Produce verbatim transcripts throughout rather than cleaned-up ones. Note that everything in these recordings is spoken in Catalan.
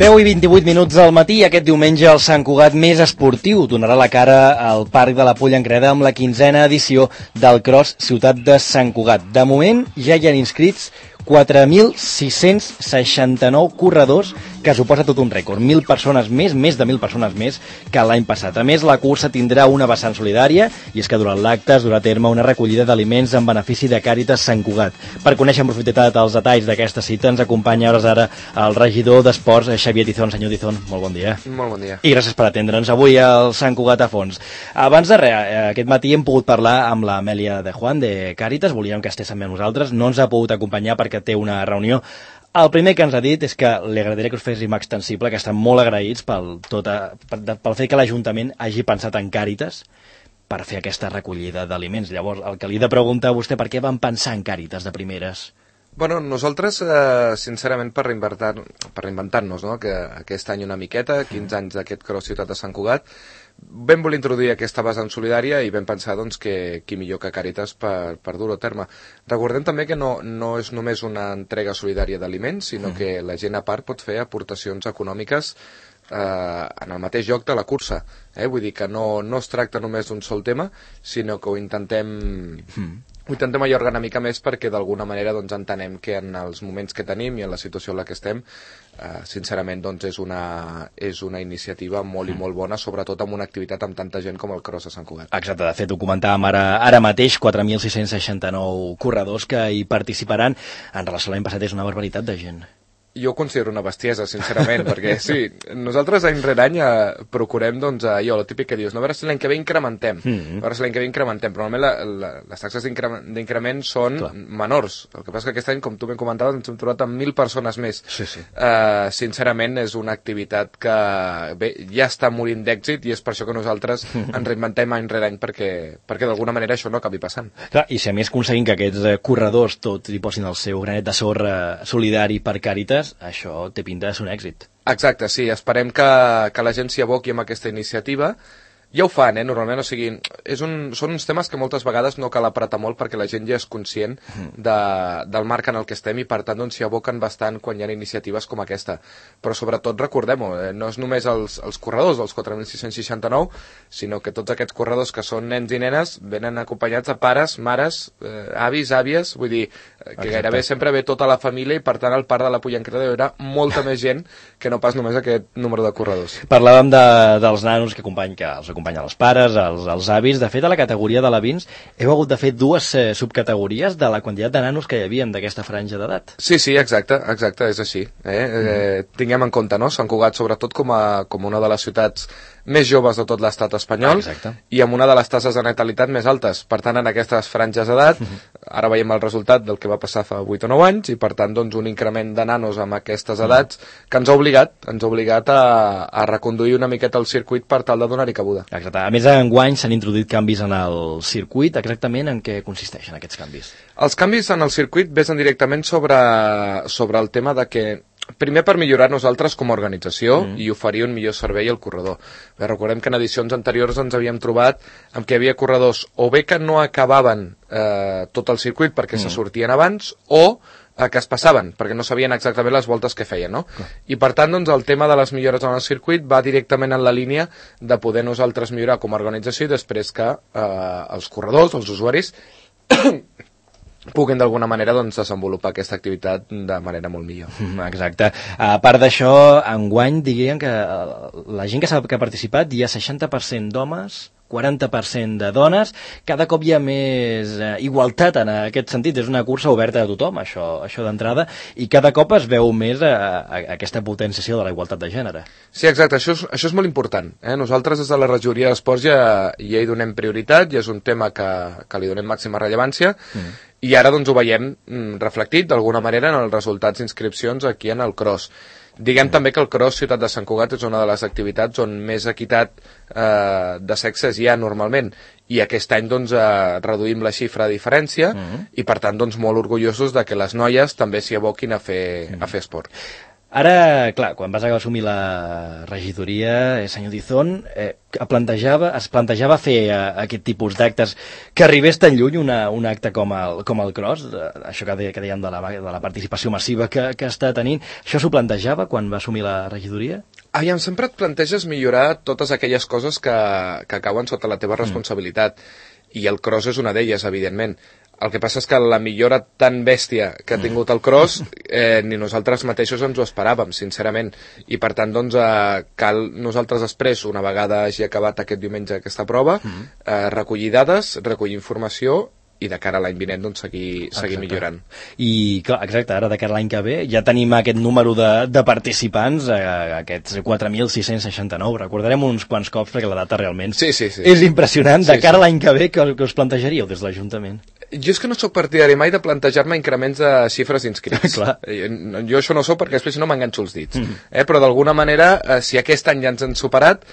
deu i vint-i-vuit minuts del matí, aquest diumenge el Sant Cugat més esportiu donarà la cara al Parc de la Pollengreda amb la quinzena edició del Cross Ciutat de Sant Cugat. De moment ja hi han inscrits quatre mil sis-cents seixanta-nou corredors, que suposa tot un rècord. Mil persones més, més de mil persones més que l'any passat. A més, la cursa tindrà una vessant solidària, i és que durant l'acte es durà a terme una recollida d'aliments en benefici de Càritas Sant Cugat. Per conèixer en profunditat els detalls d'aquesta cita ens acompanya hores ara el regidor d'Esports, Xavier Tizón. Senyor Tizón, molt bon dia. Molt bon dia. I gràcies per atendre'ns avui al Sant Cugat a fons. Abans de res, aquest matí hem pogut parlar amb l'Amèlia de Juan de Càritas, volíem que estigués també amb nosaltres, no ens ha pogut acompanyar perquè té una reunió. El primer que ens ha dit és que li agradaria que us féssim extensible, que estan molt agraïts pel, tot a, pel fet que l'Ajuntament hagi pensat en Càritas per fer aquesta recollida d'aliments. Llavors, el que li he de preguntar a vostè, per què van pensar en Càritas de primeres? Bueno, nosaltres, eh, sincerament, per reinventar, per reinventar-nos, no? Que aquest any una miqueta, quinze anys d'aquest Cross Ciutat de Sant Cugat, vam voler introduir aquesta vessant solidària i vam pensar doncs, que qui millor que Càritas per, per dur-ho a terme. Recordem també que no, no és només una entrega solidària d'aliments, sinó mm. que la gent a part pot fer aportacions econòmiques eh, en el mateix lloc de la cursa. Eh? Vull dir que no, no es tracta només d'un sol tema, sinó que ho intentem... Mm. Ho intentem allargar una mica més perquè d'alguna manera doncs, entenem que en els moments que tenim i en la situació en la que estem, eh, sincerament doncs, és, una, és una iniciativa molt i molt bona, sobretot amb una activitat amb tanta gent com el Cross de Sant Cugat. Exacte, de fet ho comentàvem ara, ara mateix, quatre mil sis-cents seixanta-nou corredors que hi participaran. En relació a l'any passat és una barbaritat de gent. Jo ho considero una bestiesa, sincerament, perquè sí, nosaltres any rere any eh, procurem, doncs, allò, el típic que dius, no, a veure si l'any que ve incrementem, mm-hmm. a veure si l'any que ve incrementem, però normalment la, la, les taxes d'increment són Clar. menors. El que passa que aquest any, com tu ben comentaves, ens hem trobat amb mil persones més. Sí, sí. Uh, sincerament, és una activitat que bé, ja està morint d'èxit i és per això que nosaltres ens reinventem any rere any perquè, perquè d'alguna manera això no acabi passant. Clar, i si a més aconseguim que aquests eh, corredors tots hi posin el seu granet de sorra solidari per Càritas, això té pinta de ser un èxit. Exacte, sí, esperem que, que la gent s'hi aboqui amb aquesta iniciativa. Ja ho fan, eh, normalment, o sigui, és un, són uns temes que moltes vegades no cal apretar molt perquè la gent ja és conscient de, del marc en el que estem i per tant doncs s'hi aboquen bastant quan hi ha iniciatives com aquesta. Però sobretot recordem-ho, eh, no és només els, els corredors dels quatre mil sis-cents seixanta-nou, sinó que tots aquests corredors que són nens i nenes venen acompanyats de pares, mares, eh, avis, àvies, vull dir, eh, que Exacte. gairebé sempre ve tota la família i per tant al Parc de la Pollengreda hi haurà molta més gent que no pas només aquest número de corredors. Parlàvem de, dels nanos que acompanyen, que els acompanyen els pares, els, els avis. De fet, a la categoria de l'Avins heu hagut de fer dues eh, subcategories de la quantitat de nanos que hi havia d'aquesta franja d'edat. Sí, sí, exacte, exacte, és així. Eh? Mm. Eh, tinguem en compte, no? Sant Cugat, sobretot com a, com una de les ciutats més joves de tot l'estat espanyol ah, i amb una de les taxes de natalitat més altes. Per tant, en aquestes franges d'edat, mm-hmm. ara veiem el resultat del que va passar fa vuit o nou anys i, per tant, doncs, un increment de nanos amb aquestes edats mm. que ens ha obligat, ens ha obligat a, a reconduir una miqueta el circuit per tal de donar-hi cabuda. Exacte. A més, enguany s'han introduït canvis en el circuit. Exactament en què consisteixen aquests canvis? Els canvis en el circuit vesen directament sobre, sobre el tema de que primer per millorar nosaltres com a organització mm. i oferir un millor servei al corredor. Bé, recordem que en edicions anteriors ens havíem trobat amb que hi havia corredors o bé que no acabaven eh, tot el circuit perquè mm. se sortien abans o eh, que es passaven perquè no sabien exactament les voltes que feien, no? Mm. I per tant, doncs, el tema de les millores en el circuit va directament en la línia de poder nosaltres millorar com a organització i després que eh, els corredors, els usuaris puguin d'alguna manera doncs, desenvolupar aquesta activitat de manera molt millor. Exacte. A part d'això, enguany diríem que la gent que s'ha que ha participat hi ha seixanta per cent d'homes, quaranta per cent de dones, cada cop hi ha més eh, igualtat en aquest sentit, és una cursa oberta a tothom, això, això d'entrada, i cada cop es veu més a, a, a aquesta potenciació de la igualtat de gènere. Sí, exacte, això és, això és molt important. Eh? Nosaltres des de la regidoria d'Esports ja, ja hi donem prioritat, i és un tema que, que li donem màxima rellevància, mm. i ara doncs, ho veiem mm, reflectit d'alguna manera en els resultats d'inscripcions aquí en el Cross. Diguem mm. també que el Cross Ciutat de Sant Cugat és una de les activitats on més equitat eh, de sexes hi ha normalment i aquest any doncs, eh, reduïm la xifra de diferència mm. i per tant doncs, molt orgullosos de que les noies també s'hi aboquin a fer, mm. a fer esport. Ara, clar, quan vas assumir la regidoria, eh, senyor Dizón, eh, plantejava, es plantejava fer eh, aquest tipus d'actes que arribés tan lluny una, un acte com el, com el Cross, eh, això que, de, que dèiem de la, de la participació massiva que, que està tenint, això s'ho plantejava quan va assumir la regidoria? Aviam, sempre et planteges millorar totes aquelles coses que, que cauen sota la teva responsabilitat, mm. i el Cross és una d'elles, evidentment. El que passa és que la millora tan bèstia que ha tingut el Cross, eh, ni nosaltres mateixos ens ho esperàvem, sincerament. I per tant, doncs, eh, cal nosaltres després, una vegada hagi acabat aquest diumenge aquesta prova, eh, recollir dades, recollir informació i de cara a l'any vinent doncs, seguir, seguir millorant. I clar, exacte, ara de cara a l'any que ve ja tenim aquest número de, de participants, eh, aquests quatre mil sis-cents seixanta-nou. Recordarem uns quants cops perquè la data realment sí, sí, sí. és impressionant. De sí, cara sí. a l'any que ve, que, que us plantejaríeu des de l'Ajuntament? Jo és que no sóc partidari mai de plantejar-me increments de xifres inscrits. Jo això no sóc perquè després no m'enganxo els dits. Mm. Eh? Però d'alguna manera, eh, si aquest any ja ens han superat,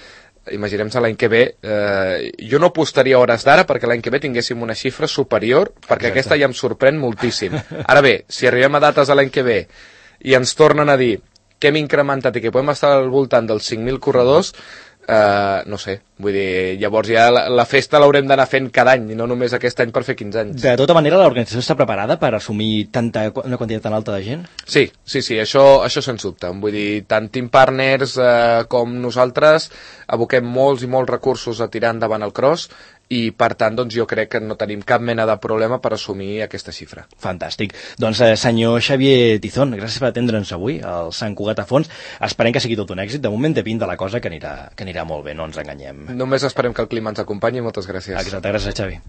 imaginem-nos l'any que ve, eh, jo no apostaria hores d'ara perquè l'any que ve tinguéssim una xifra superior, perquè Exacte. Aquesta ja em sorprèn moltíssim. Ara bé, si arribem a dates a l'any que ve i ens tornen a dir que hem incrementat i que podem estar al voltant dels cinc mil corredors, Uh, no sé, vull dir, llavors ja la, la festa l'haurem d'anar fent cada any i no només aquest any per fer quinze anys. De tota manera, l'organització està preparada per assumir tanta, una quantitat tan alta de gent? Sí, sí, sí, això, això sens dubte. Vull dir, tant Team Partners uh, com nosaltres aboquem molts i molts recursos a tirar endavant el Cross i per tant doncs, jo crec que no tenim cap mena de problema per assumir aquesta xifra. Fantàstic. Doncs eh, senyor Xavier Tizón, gràcies per atendre'ns avui al Sant Cugat a Fons. Esperem que sigui tot un èxit. De moment té pinta la cosa que anirà, que anirà molt bé, no ens enganyem. Només esperem que el clima ens acompanyi. Moltes gràcies. Exacte, gràcies Xavi.